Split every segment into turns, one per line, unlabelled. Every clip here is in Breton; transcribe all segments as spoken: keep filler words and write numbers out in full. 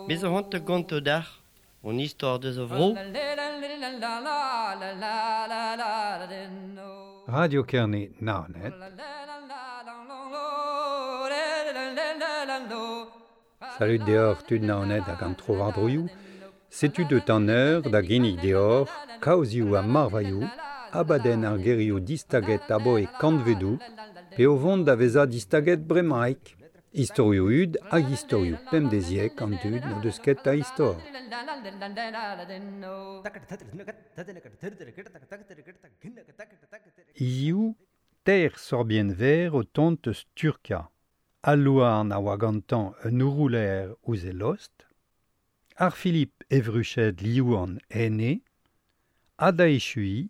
Bez a c'hoant gonto d'ar, on istor deus a vro.
Radio Kerne Naoned. Salut deoc'h tud Naoned hag an tro war-droioù. Setu deut an eur da ginnig deoc'h kaozioù ha marvailhoù, abadenn ar gerioù distaget aboe kantvedoù, pe o vont da vezañ distaget bremaik. Istorioù hud hag istorioù pemdeziek an dud n'o deus ket a istor. Hiziv, teir sorbienn verr o tont eus Turkia. Al louarn a oa gantañ un ourouler ouzh e lost, ar Philippe Evruched liv an ene, ha da echuiñ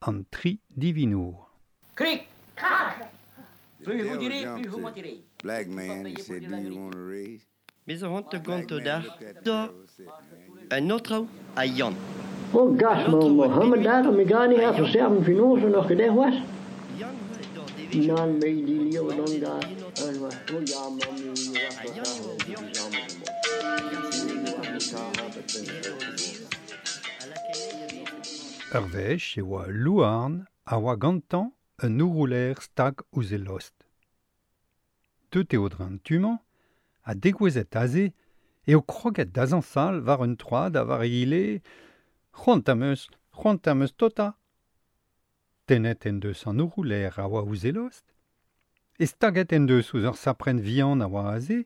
an tri divinour.
Krik, krak! Plus vous direz, plus vous mentirez.
Black man, he said, do you want a raise?
Bez a c'hoant gonto d'ar, da un autre a Yann.
Oh gas, ma Mohammed daar, mi gani ha verserven finoze nog gedeg was. Nan me die lieve dan daar. En was oh ja, man, mi
Ur wech e oa louarn a oa gantañ un ourouler stag ouzh e lost. Deut eo dre an tu-mañ, ha degouezhet aze, eo kroget da zañsal war un troad ha war egile c'hoant am eus, c'hoant am eus tota. Tennet en deus an ourouler a oa ouzh e lost, e staget en deus ouzh ur saprenn vihan a oa aze,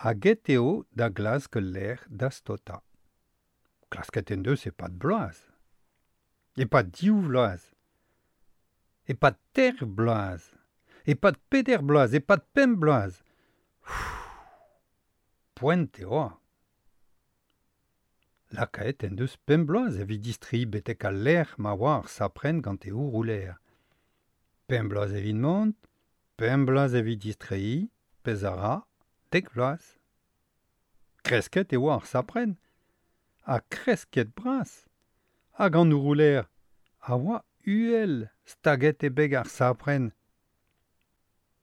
hag get eo da glask lec'h da stota. Klasket en deus e-pad bloaz. E-pad div vloaz. E-pad teir bloaz. E-pad peder bloaz, e-pad pemp bloaz. Poent eo. Lakaet en deus pemp bloaz evit distreiñ betek al lec'h ma oa ar saprenn gant e ourouler. Pemp bloaz evit mont, pemp bloaz evit distreiñ, pezh a ra, dek bloaz. Kresket e oa ar saprenn, ha kresket bras. Hag an ourouler a oa uhel staget e beg ar saprenn.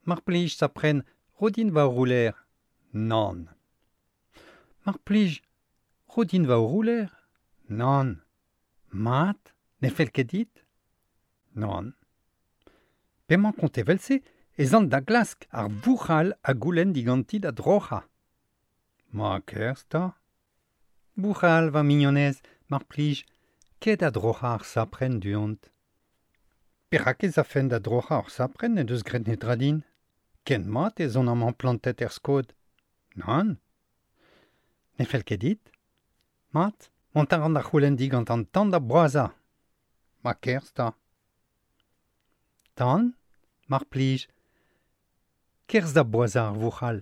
Mar plij saprenn, ro din va ourouler. Nann. Mar plij, ro din va ourouler. Nann. Mat, ne fell ket dit? Nann. P'emañ kont evel-se ez an da glask ar bouc'hal ha goulenn diganti da droc'hañ. Ma kerzh 'ta. Bouc'hal, va mignonez, mar plij, ket a droc'hañ ar saprenn du-hont. Perak ez afen da droc'hañ ar saprenn en deus graet netra din? Ken mat ez on amañ plantet er skod. Nann. Ne fell ket dit? Mat, mont a ran da c'houlenn digant an tan da boazhañ. Ma kerzh 'ta. Tan, mar plij, kerzh da boazhañ ar vouc'hal.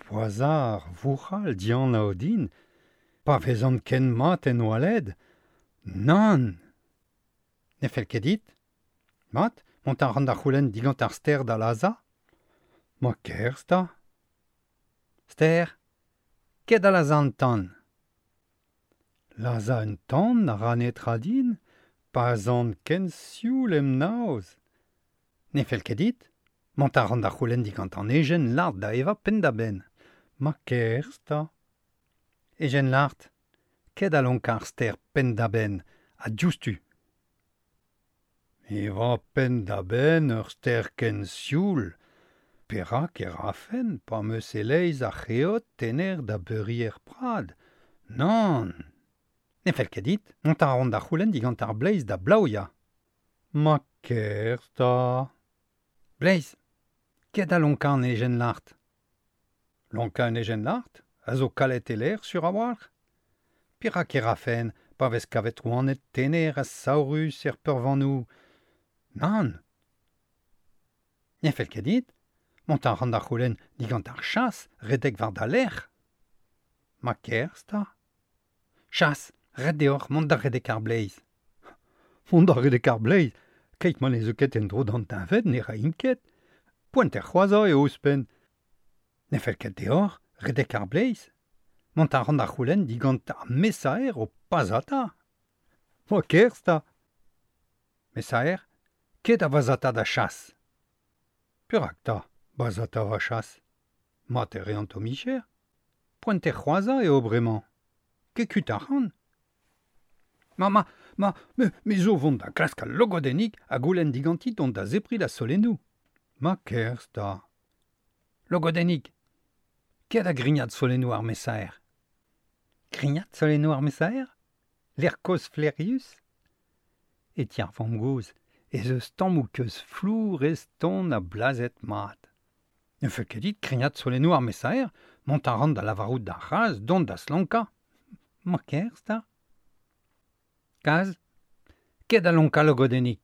Boazhañ ar vouc'hal dianav din, pa vezan ken mat en oaled. Nann. Ne fell ket dit? Mat, mont a ran da c'houlenn digant ar stêr da lazhañ. Ma kerzh 'ta. Stêr, ket da lazhañ an tan. Lazhañ un tan a ra netra din, pa 'z an ken sioul em naoz. Ne fell ket dit? Mont a ran da c'houlenn digant an ejen lart da evañ penn-da-benn. Ma kerzh 'ta. Ejen lart, ket a lonkañ ar stêr penn-da-benn, ha diouzhtu. Evañ penn-da-benn ur stêr ken sioul. Perak e rafen pa 'm eus e-leizh ar c'heot tener da beuriñ er prad? Nann. Ne fell ket dit? Mont a ran da c'houlenn digant ar bleiz da blaouiañ. Ma kerzh 'ta. Bleiz, ket a lonkañ an ejen lart. Lonkañ un ejen lart a zo kalet e lec'h sur a-walc'h. Perak e rafen pa vez kavet oaned tener ha saourus er peurvanoù? Nann. Ne fell ket dit? Mont a ran da c'houlenn digant ar chas redek war da lerc'h. Ma kerzh 'ta. Chas, ret deoc'h mont da redek ar bleiz. Mont da redek ar bleiz, keit ma ne zeu ket en-dro d'an deñved ne raint ket. Poent er c'hoazhañ eo ouzhpenn. Ne fell ket deoc'h redek ar bleiz. Mont a ran da c'houlenn digant ar mesaer o pazata. Ma kerzh 'ta. Mesaer, ket a vazata da chas. Perak ta, bazata va chas. Mat e reant o micher. Poent e c'hoaza eo bremañ. Ket kuit ac'hann. Ma, ma, ma, me, me zo vont da klask al logodennig ha goulenn diganti dont da zepri da solennoù. Ma kerzh ta. Logodennig, ket a grignat solennoù ar mesaer. Grignat solennoù ar mesaer? L'air koz flerius? E ti ar vamm-gozh, ez eus tammoù keuz flour ez ton a blazet mat. Ne fell ket dit krignat solennoù ar mesaer, mont a ran da lavarout d'ar c'hazh dont da slonkañ. Ma kerzh ta. Kaz, ket a lonkañ logodennig.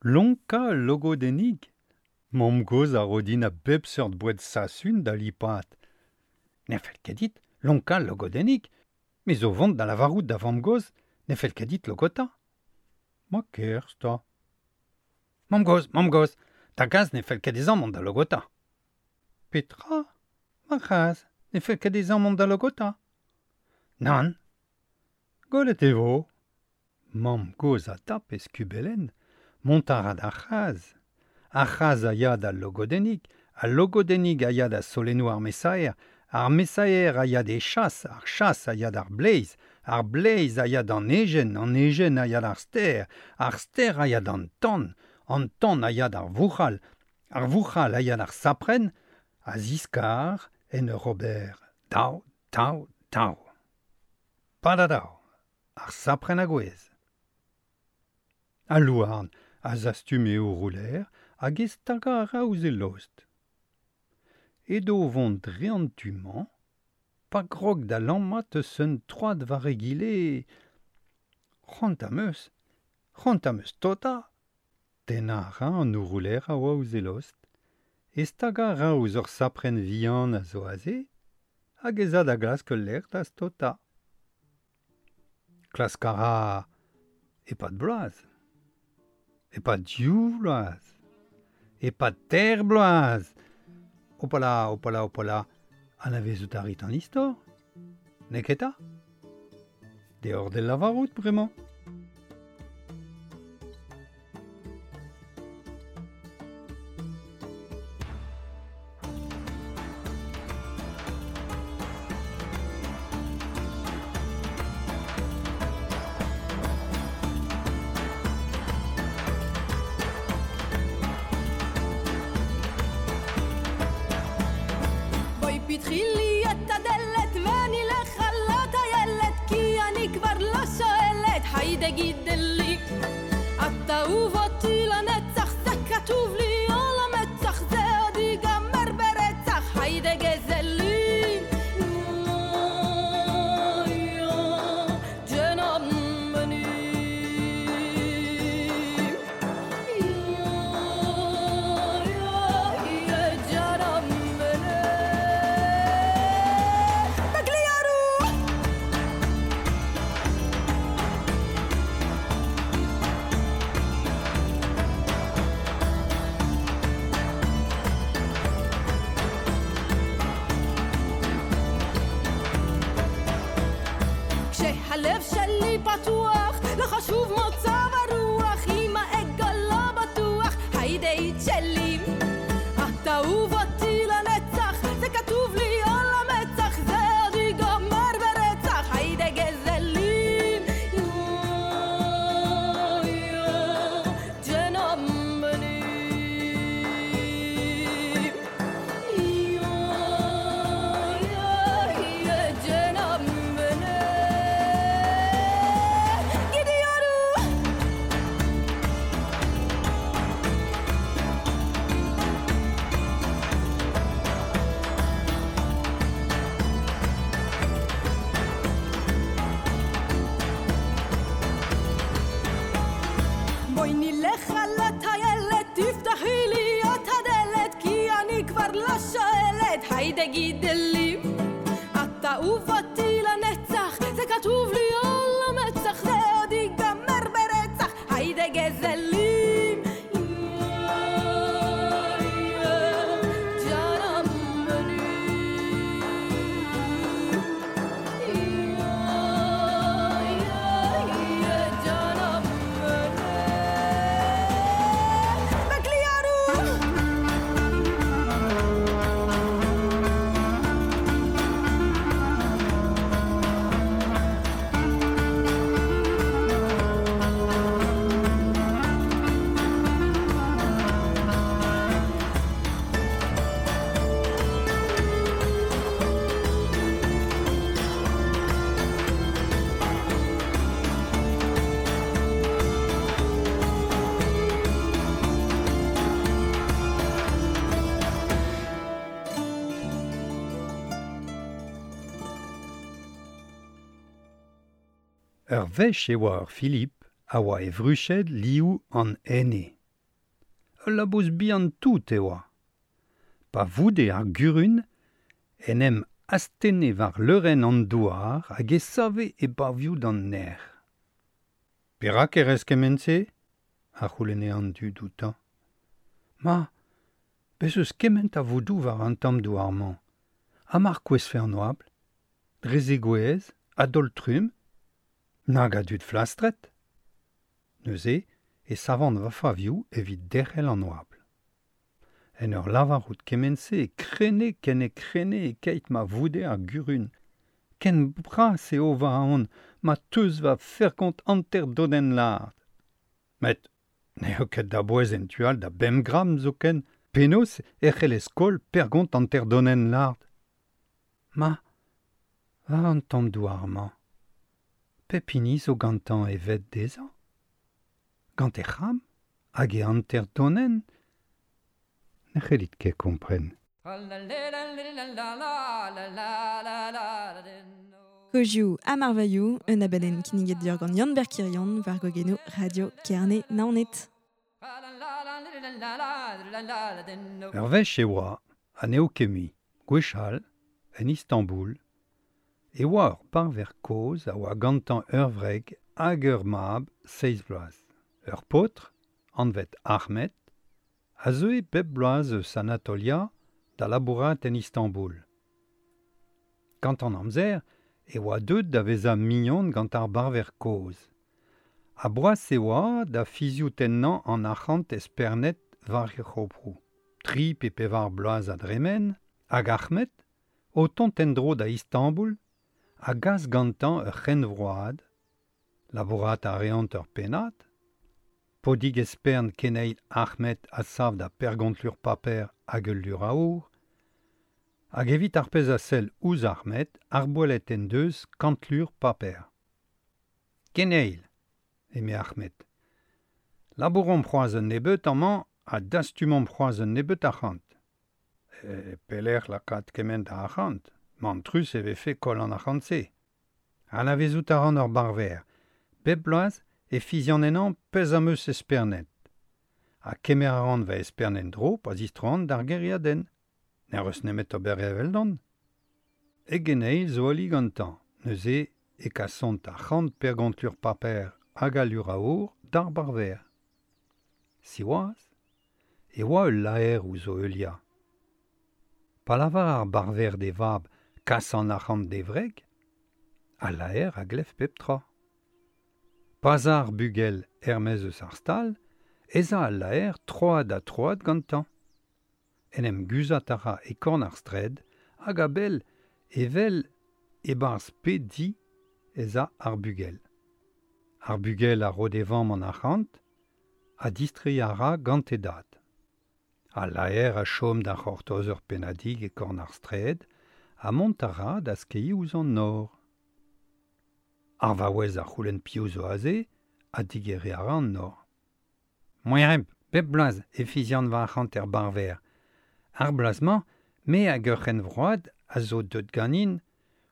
Lonkañ logodennig? Mamm-gozh a ro din a bep seurt boued sasun da lipat. Ne fell ket dit lonkañ logodennig, me zo vont da lavarout da vamm-gozh ne fell ket dit logota. Ma kerzh ta. Mamm-gozh, mamm-gozh, da gazh ne fell ket dezhañ mont da logota. Petra? Ma c'hazh ne fell ket dezhañ mont da logota. Nann. Gollet e vo. Mamm-gozh a tap e skubellenn, mont a ra d'ar c'hazh. Ar c'hazh a ya d'al logodennig, al logodennig a ya da solennoù ar mesaer, ar mesaer a ya d'e chas, ar chas a ya d'ar bleiz, ar bleiz a ya d'an ejen, an ejen a ya d'ar stêr, ar stêr a ya d'an tan, an tan a ya d'ar vouc'hal, ar vouc'hal a ya d'ar saprenn, a ziskar en ur ober daou, daou, daou. Padadaou, ar saprenn a gouez. Al louarn a zastum e ourouler hag e stagañ a ra ouzh e lost. Edo vont dre an tu-mañ, pa grog da lammat eus un troad war egile. C'hoant am eus, c'hoant am eus tota. Tennañ a ra an ourouler a oa ouzh e lost, e stagañ a ra ouzh ur saprenn vihan a zo aze, hag ez a da glask ul lec'h da stota. Klask a ra e-pad bloaz, e-pad div vloaz, e-pad teir bloaz. Hopala, hopala, hopala, anavezout a rit an istor? N'eo ket ta? Deoc'h d'el lavarout bremañ.
פתחי לי את הדלת ואני לך לא טיילת כי אני כבר לא שואלת היידה גידלי את אהוב אותי לנצח זה כתוב לי על המצח זה עוד ייגמר ברצח היידה גזלים הלב שלי פתוח, לא חשוב מצב הרוח, אם האגו לא בטוח, היידה שלי. את אהוב אותי לנצח, זה כתוב לי על המצח, זה עוד ייגמר ברצח, היידה גזלים. בואי נלך על הטיילת, תפתחי לי את הדלת, כי אני כבר לא שואלת, היידה גידלי. את אהוב אותי לנצח, זה כתוב לי על המצח, זה עוד ייגמר ברצח, היידה גזלים. Gianna.
Ur wech e oa ur Philippe a oa e vruched liou an ene. Ul labous bihan tout e oa. Pa voude ar gurun, en em astenne war leurenn an douar hag e save e bavioù d'an ner. Perak e rez kement-se ? A c'houlenne an dud outañ. Ma, bez eus kement a vodoù war an tamm douar-mañ. Ha mar kouezfe an oabl, dre zegouezh, a-daol trumm, nag a dud flastret. Neuze e savan va favioù evit derc'hel an oabl. En ur lavarout kement-se e krene ken e krene e keit ma voude ar gurun. Ken bras eo va aon ma teus va fergont hanter dodenn lard. Met n'eo ket da bouez en tu all da bemp gramm zoken, penaos e c'hellez koll pergont hanter dodenn lard. Ma, war an tamm douar-mañ, pep hini zo gantañ e ved dezhañ. Gant e c'hram hag e hanter donenn, ne c'hellit ket kompren.
Kozioù ha marvailhoù, un abadenn kinniget deoc'h gant Yann Berkirion war gogenoù Radio Kerne Naoned.
Ur wech e oa, ha n'eo ket mui, gwechall, en Istanbul, e oa ur parver kozh a oa gantañ ur wreg hag ur mab seizh bloaz. Ur paotr, anvet Ahmed, a zeue bep bloaz eus Anatolia da labourat en Istanbul. Gant an amzer e oa deuet da vezañ mignon gant ar barver kozh. Ha boas e oa da fiziout ennañ an arc'hant espernet war e c'hoproù. Tri pe pevar bloaz a dremen, hag Ahmed, o tont en-dro da Istanbul, a gas gantañ ur c'henvroad, labourat a reont ur pennad, podig espern keneil Ahmed a sav da pergont lur paper hag ul lur aour, hag evit ar pezh a sell ouzh Ahmed ar boelet en deus kant lur paper. Keneil, eme Ahmed, labouromp c'hoazh un nebeut amañ ha dastumomp c'hoazh un nebeut arc'hant. E pelec'h lakaat kement a arc'hant, mantrus e vefe koll an arc'hant-se. Anavezout a ran ur barver, bep bloaz e fizian ennañ pezh am eus espernet. Ha kemer a ran va espern en-dro pa zistroan d'ar gêriadenn. N'er eus nemet ober eveldon. E geneil zo ali gantañ, neuze e kasont ar c'hant pergont lur paper hag al lur aour d'ar barver. Siwazh, e oa ul laer ouzh o heuliañ. Pa lavar ar barver d'e vab kas an arc'hant d'e wreg, al laer a glev pep tra. Pa 'z a ar bugel er-maez eus ar stal, ez a al laer troad ha troad gantañ. En em guzhat a ra e korn ar straed hag a-bell evel e-barzh pe di ez a ar bugel. Ar bugel a ro d'e vamm an arc'hant ha distreiñ a ra gant e dad. Al laer a chom da c'hortoz ur pennadig e korn ar straed ha mont a ra da skeiñ ouzh an nor. Ar vaouez a c'houlenn piv zo aze ha digeriñ a ra an nor. Moereb, bep bloaz e fizian va arc'hant er barver. Ar bloaz-mañ, me hag ur c'henvroad a zo deut ganin,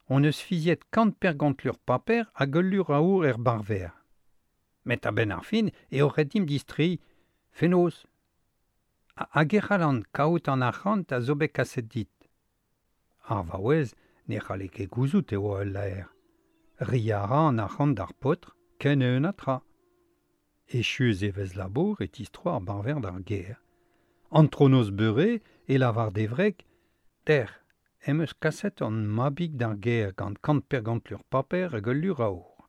on eus fiziet kant pergont lur paper hag ul lur aour er barver. Met a-benn ar fin eo ret dimp distreiñ fenoz. Hag e c'hallan kaout an arc'hant a zo bet kaset dit. Ar vaouez ne c'halle ket gouzout e oa ul laer. Reiñ a ra an arc'hant d'ar paotr ken eeun ha tra. Echu e vez labour e tistro ar barver d'ar gêr. Antronoz beure e lavar d'e wreg, ter, em eus kaset an mabig d'ar gêr gant kant pergont lur paper hag ul lur aour.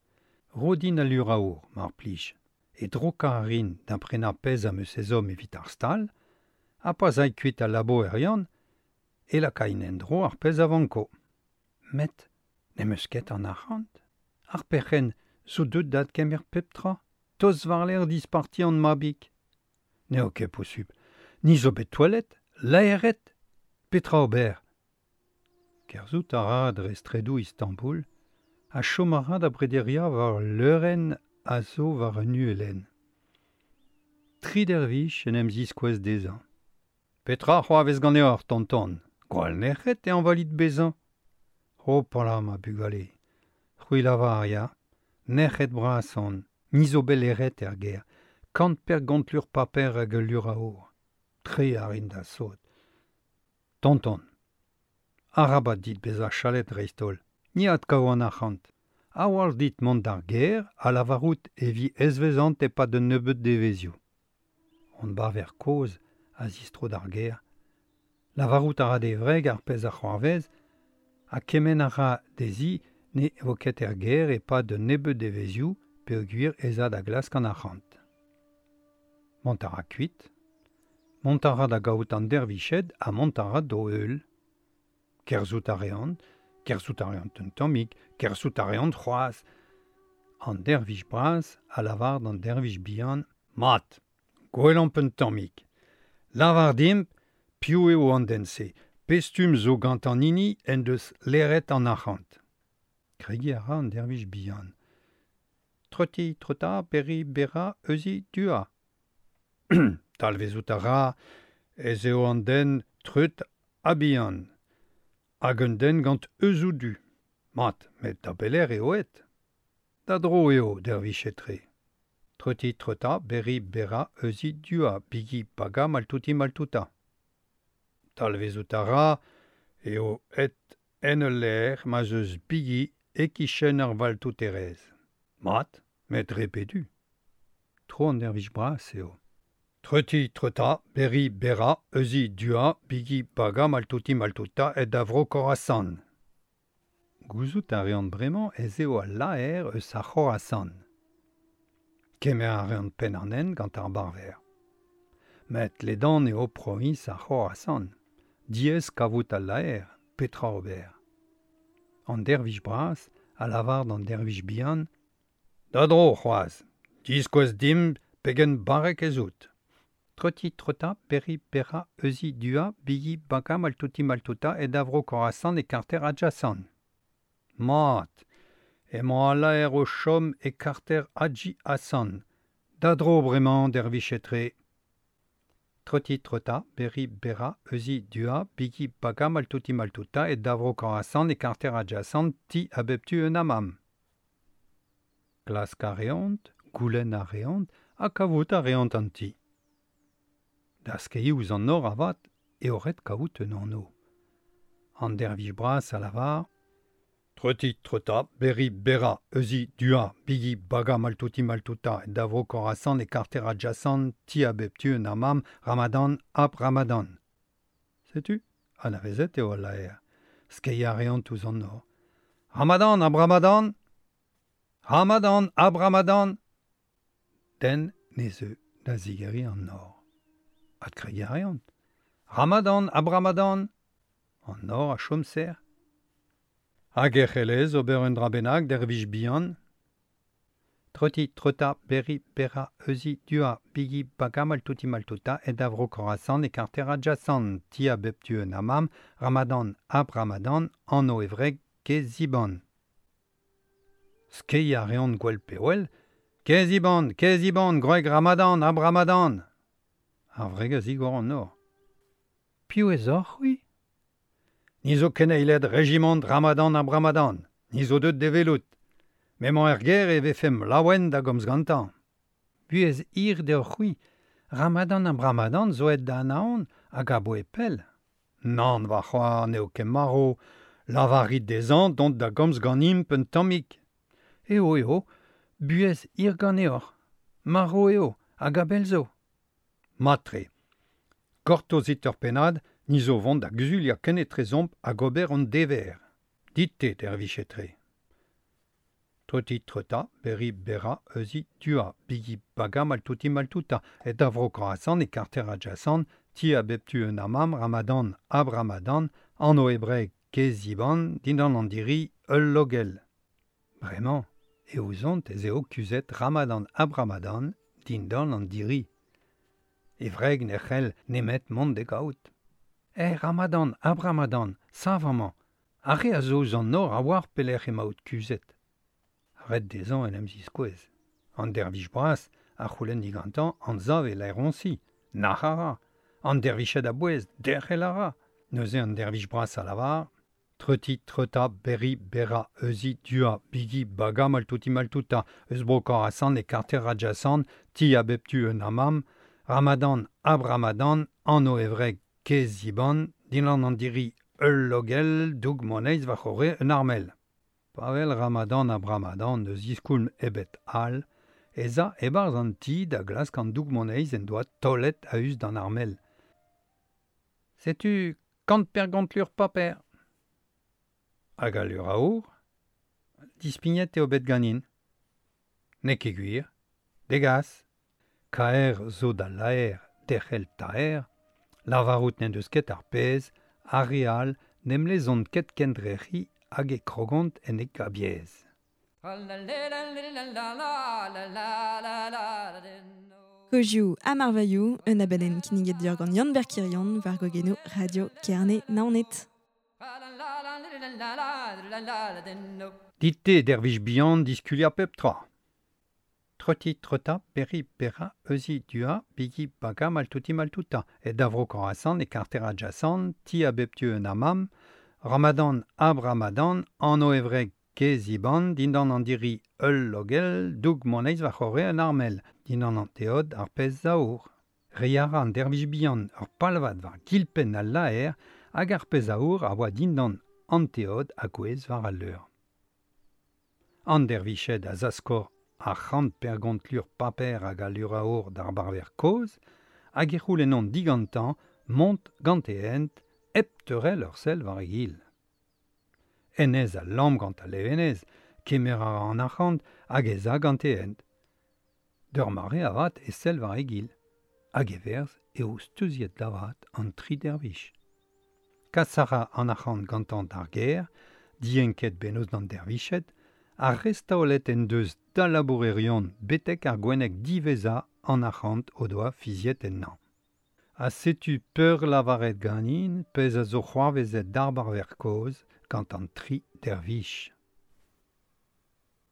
Ro din al lur aour, mar plij. E drokañ a rin da prenañ pezh am eus ezhomm evit ar stal, ha pa 'z ay kuit al labourion, e lakain en-dro ar pezh a vanko. Met n'em eus ket an arc'hant. Ar perc'henn zo deut da adkemer pep tra, tost war-lerc'h disparti an mabig. N'eo ket posupl. Ni zo bet toalet, laeret, petra ober. Kerzhout a ra dre straedoù Istanbul, ha chom a ra da brederiañ war leurenn a zo war un uhelenn. Tri dervich en em ziskouez dezhañ. Petra c'hoarvez ganeoc'h, tonton? Gwall nec'het e añvalit bezañ. Hopala, ma bugale. C'hwi lavar, ya. Nec'het bras on, ni zo beleret er ger, kant per gant lur paper hag ul lur aour. Tre a rin da sot. Tonton. Arabat dit bezañ chalet dreist-holl. Ni adkav an arc'hant. A-walc'h dit mont d'ar ger a lavarout e vi ezvezant e-pad un nebeud devezioù. Hon barver kozh a zistro d'ar ger. Lavarout a ra d'e wreg ar pezh a c'hoarvez ha kement a ra dezhi ne vo ket er ger e-pad un nebeud devezioù peogwir ez a da glask an arc'hant. Mont a ra kuit. Mont a ra da gaout an derviched ha mont a ra d'o heul. Kerzhout a reont, kerzhout a reont un tammig, kerzhout a reont c'hoazh. An dervich bras a lavar d'an dervich bihan, mat, gwelomp un tammig. Lavar dimp, piv eo an den-se, pestum zo gant an hini en deus leret an arc'hant. Kregiñ a ra an dervich bihan. Troti, trota, berri, berra, euzi, dua. Talvezout a ra ez eo an den treut ha bihan. Hag un den gant euzoù du. Mat, met da beler eo et. Da dro eo, dervichet-tre. Troti, trota, berri, berra, euzi, dua, bigi, baga, maltouti, maltouta. Talvezout a ra eo et en ul lec'h ma'z eus bigi e-kichen ar valtouterez. Mat, met repedu. Tro an dervich bras eo. Treuti, treuta, berri, berra, euzi, dua, bigi, baga, maltouti, maltouta, et da vro Khorasan. Gouzout a reont bremañ ez eo al laer eus ar Khorasan. Kemer a reont penn an hent gant ar barver. Met ledan eo proviñs ar Khorasan. Diaes kavout al laer, petra ober. An dervich bras a lavar d'an dervich bihan, da dro c'hoazh, diskouez dimp pegen barrek ez out. Troti, trota, berri, berra, euzi, dua, bigi, baga, maltouti, maltouta, et da vro Khorasan e karter Adjasan. Mat, emañ al laer o chom e karter Hadji Hassan. Da dro bremañ dervichet-tre. Troti, trota, berri, berra, euzi, dua, bigi, baga, maltouti, maltouta, et da vro Khorasan e karter Adjasan, ti a bep tu un amam. Klask a reont, goulenn a reont, ha kavout a reont an ti. Da skeiñ ouzh an nor avat eo ret kaout un anv. An dervich bras a lavar, Treuti, treuta, berri, berra, euzi, dua, bigi, baga, maltouti, maltouta, da vro Khorasan e karter Adjasan, ti a bep tu un amam, Ramadan, ap Ramadan. Setu, anavezet eo al laer. Skeiñ a reont ouzh an nor. Ramadan, ab Ramadan! Ramadan, ab Ramadan! Den ne zeu da zigeriñ an nor. Adkregiñ a reont. Ramadan, ab Ramadan! An nor a chom serr. Hag e c'hellez ober un dra bennak dervich bihan. Troti, trota, berri, berra, euzi, dua, bigi, baga, maltouti, maltouta, et da vro Khorasan e karter Adjasan, ti a bep tu un amam, Ramadan, ab Ramadan, anv e wreg Keziban. Skeiñ a reont gwell pe well, Keziban, Keziban, gwreg Ramadan, ab Ramadan. Ar wreg a zigor an nor. Piv ez oc'h, c'hwi? Ni zo keneiled rejimant Ramadan ab Ramadan. Ni zo deut d'e welout. M'emañ er ger e vefemp laouen da gomz gantañ. Buhez hir deoc'h c'hwi, Ramadan ab Ramadan zo aet da anaon hag aboe pell. Nann va c'hoar n'eo ket marv, lavarit dezhañ dont da gomz ganimp un tammig. Eo eo, buhez hir ganeoc'h. Marv eo, hag a-bell zo. Mat-tre. Gortozit ur pennad, ni zo vont da guzuliañ kenetrezomp hag ober hon dever. Dit-te, dervichet-tre. Troti, trota, berri, berra, euzi, dua, bigi, baga, maltouti, maltouta, et da vro Khorasan e karter Adjasan, ti a bep tu un amam, Ramadan, ab Ramadan, anv hebraek Keziban, dindan an diri, ul logell. Bremañ, e ouzont ez eo kuzhet Ramadan ab Ramadan, dindan an diri. E wreg ne c'hell nemet mont d'e gaout. Eh, Ramadan, ab Ramadan, sav amañ. Ar re a zo ouzh an nor a oar pelec'h emaout kuzhet. Ret dezhañ en em ziskouez. An dervich bras a c'houlenn digantañ anzav e laeroñsi. Nac'h a ra. An derviched a-bouez, derc'hel a ra. Neuze an dervich bras a lavar, Treuti, treuta, berri, berra, euzi, dua, bigi, baga, maltouti, maltouta, eus bro Khorasan e karter adjacent, ti a bep tu un amam, Ramadan, ab Ramadan, anno evreg, keziban, dindan an diri ul logel, doug moneiz va c'horre un armel. Pavel Ramadan ab Ramadan eus iskoulm ebet al, ez a ebarz an ti da glask an doug moneiz en doa tolet a-us d'an armel. Setu kant pergont lur paper. Hag a lur aour, dispignet eo bet ganin. N'eo ket gwir, degas. Kaer zo da laer derc'hel taer, lavarout n'en deus ket ar pezh, ar re all n'em lezont ket kendrec'hi hag e krogont en e gabiez.
Kozioù ha marvailhoù, un abadenn kinniget deoc'h gant Yann Berkirion war gogenoù Radio Kerne Naoned.
Dit-te dervij bihan diskulia pep tra. Treuti, treuta, berri, berra, euzi, dua, bigi, baga, maltouti, maltouta. E davro Khorasan e karter adjacent, ti a bep tu un amam, Ramadan ab Ramadan, anno evreg keziban, dindan an diri ul logel, doug moneiz va c'horre un armel, dindan an teod ar pezh aour. Reiara an dervij bihan ur palvad war gilpenn al laer, hag ar pezh aour a oa dindan an teod a gouez war al leur. An derviched a zaskor ar c'hant pergont lur paper hag a lur aour d'ar barver kozh, hag e c'houlennon digantañ mont gant e hent hep teurel ur sell war e gil. Enez a lamm gant al levenez, kemer a ra an arc'hant hag ez a gant e hent. D'ur mare avat e sell war e gil, hag e verz eo steuziet davat an tri dervich. Kas a ra an arc'hant gantañ d'ar gêr, dienket bennozh d'an derviched, ar restaolet en deus da labourerion betek ar gwenneg diwezhañ an arc'hant o doa fiziet ennañ. Ha setu peur lavaret ganin pezh a zo c'hoarvezet d'ar barver kozh gant an tri dervich.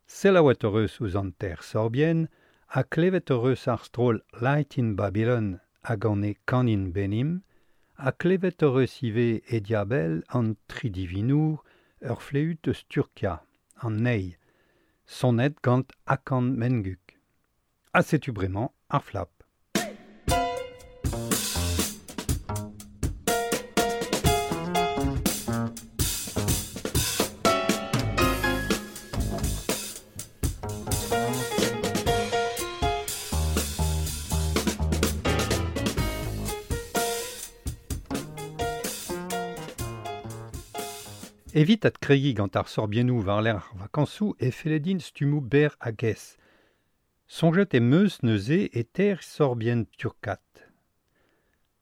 Selaouet hoc'h eus ouzh an ter sorbien ha klevet hoc'h eus ar stroll Light in Babylon hag an e kanin benim, ha klevet hoc'h eus ivez e diabell an tri divinour ur fleüt eus Turkia, an ney, sonet gant Hakan Menguk. Ha setu bremañ ar flap. Evit at kregi gant ar sorbiennoù war l'er vakañsoù e feledin stummoù ber hag ez. Soñjet e meus neuze e ter sorbien turkat.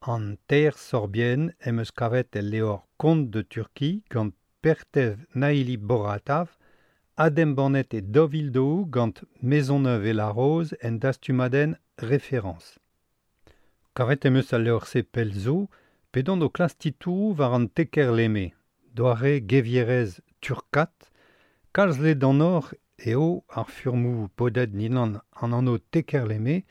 An ter sorbien em eus kavet el leor Conte de Turquie gant Pertev Naili Boratav, Adem Bannet e Dovildo gant Maisonneuve et la Rose en dastumadenn référence. Kavet em eus al leor se pelzo, pedon o klas titourou war an teker leme. Doare gevierez turkat, kalz le d'an or eo ar furmou podet ninan an anno tekerleme,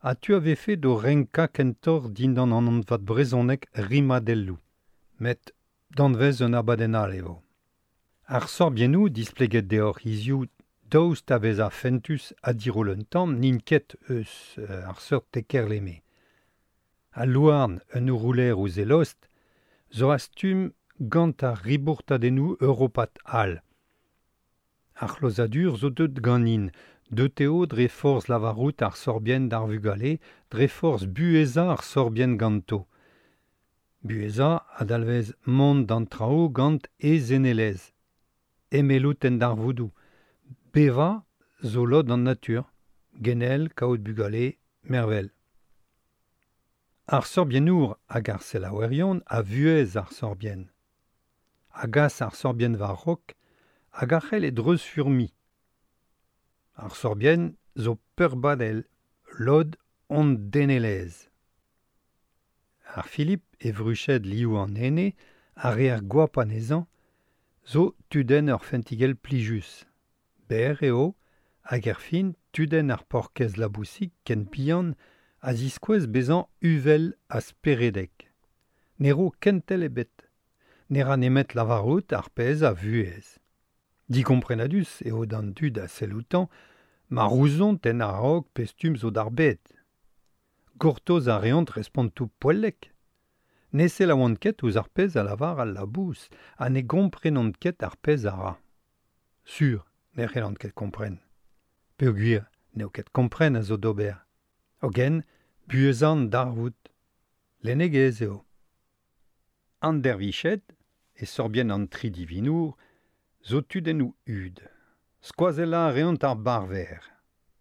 a tu ave fait do renka kentor dindan an anvat brezonek rimadellou. Met danvez un abadenn all eo. Ar sorbiennoù displeget deoc'h hiziv daoust a vezañ fentus ha diroll un tamm n'int ket eus ar seurt tekerleme. Al louarn un ourouler ouzh e lost zo a-stumm gant ar ribourtadennoù europat all. Ar c'hlozadur zo deut ganin, deut eo dre forzh lavarout ar sorbien d'ar vugale, dre forzh buhezañ ar sorbien ganto. Buhezañ a dalvez mont d'an traoù gant e zenelezh. Emellout en darvoudoù. Bevañ zo lod an natur. Genel, kaout bugale, mervel. Ar sorbiennour hag ar selaouerion a vuhez ar sorbien. A gas ar sorbien war rok hag a c'hell e dreuz furmi. Ar sorbien zo peurbadel, lod on denelez. Ar Philippe e vruched liou an ene, ar re ar goap anezhañ, zo tudenn ur fentigell plijus. Ber eo, hag er fin tudenn ar porkez labousik ken bihan a ziskouez bezañ uvel ha speredek. Ne ro kentel ebet. Ne ra nemet lavarout ar pezh a vuhez. Digomprenadus eo d'an dud a selloutan ma rouzont en a-raok pestum zo d'ar bed. Gortoz a reont respontoù poellek. Ne selaouont ket ouzh ar pezh a lavar al labous ha ne gomprenont ket ar pezh a ra. Sur, ne c'hellont ket kompren. Peogwir n'eo ket kompren a zo d'ober. Hogen, buhezan darvoud. Lennegezh eo. An derviched, e sorbien an tri divinour, zo tudennoù hud. Skoazellañ a reont ar barver.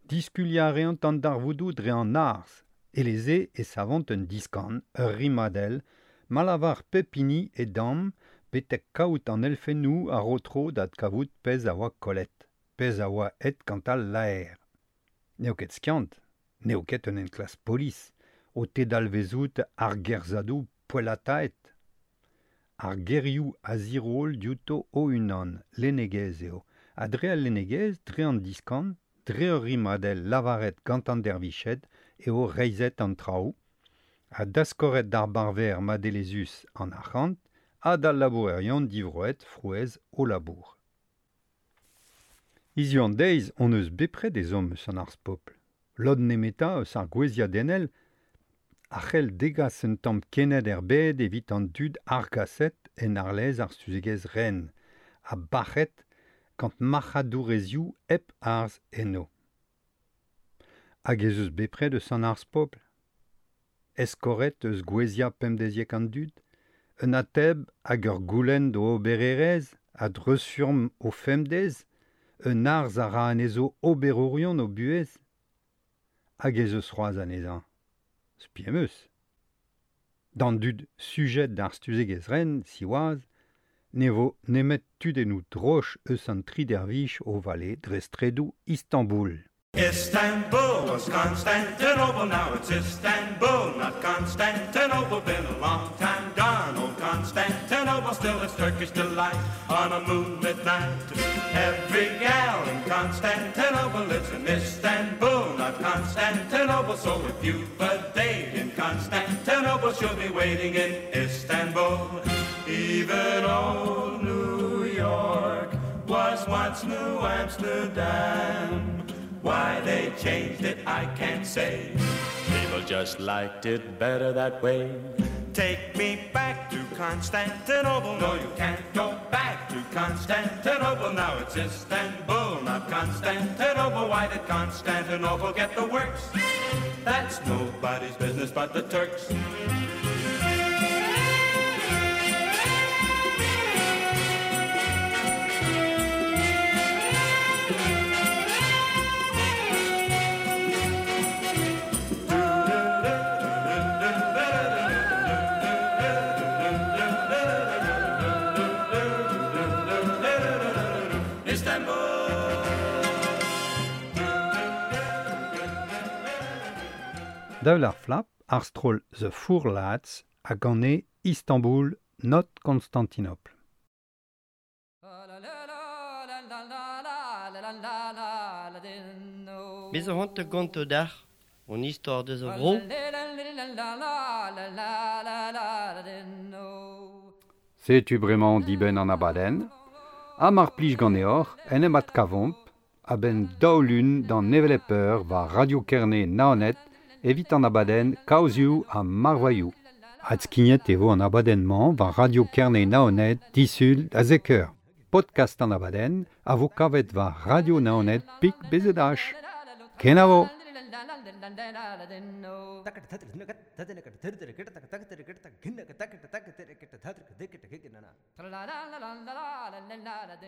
Diskuliañ a reont an darvoudoù dre an arz. Eleze e savont un diskan, ur rimadell, ma lavar pep hini e damm betek kaout an elfennoù a ro tro da kavout pezh a oa kollet, pezh a oa aet gant al laer. N'eo ket skiant, n'eo ket un enklask polis, o tedalvezout ar gerzadoù poellataet. Ar gerioù a ziroll diouto o-unan, lennegezh eo, ha dre al lennegezh, dre an diskan, dre ur rimadell lavaret gant an derviched eo reizhet an traoù, ha daskoret d'ar barver madelezus an arc'hant ha d'al labourerion divroet frouezh o labour. Hiziv an deiz hon eus bepred ezhomm eus an arz pobl. Lod nemetañ eus ar gwezhiadennel a c'hell degas un tamm kened er bed evit an dud argaset en arlez ar stuzegezh ren, ha bac'het gant marc'hadourezioù hep arz enno. Hag ez eus bepred eus an arz pobl. Eskoret eus gwezhiañ pemdeziek an dud, un ateb hag ur goulenn d'o obererezh a dreuzfurm o femdez, un arz a ra anezho oberourion o buhez. Hag ez eus c'hoazh anezhañ. Spi em eus. D'an dud sujet d'ar stuzegezh ren, siwazh, ne vo nemet tudennoù droch eus an tri dervich o vale dre stredoù Istanbul.
Istanbul was Constantinople, now it's Istanbul, not Constantinople. Been a long time gone, old Constantinople, still it's Turkish delight on a moonlit night. Every gal in Constantinople lives in Istanbul, not Constantinople. So if you've a date in Constantinople, she'll be waiting in Istanbul. Even old New York was once New Amsterdam. Why they changed it, I can't say. People just liked it better that way. Take me back to Constantinople. No, you can't go back to Constantinople. Now it's Istanbul, not Constantinople. Why did Constantinople get the works? That's nobody's business but the Turks.
Daoul ar flap, ar stroll The Four Lads a gane Istanbul, not Constantinople.
Bez a c'hoant gonto d'ar, on istor deus a vro.
Setu bremañ dibenn an abadenn, ha mar plij ganeoc'h en em adkavomp a-benn daou lun d'an hevelep eur war Radio Kerne Naoned evit an abadenn Kaozioù ha Marvailhoù. Adskignet e vo an abadenn-mañ war Radio Kerne Naoned disul da zek eur. Podcast an abadenn a vo kavet war Radio Naoned pik B Z H. Kenavo!
La la la la la la la la la.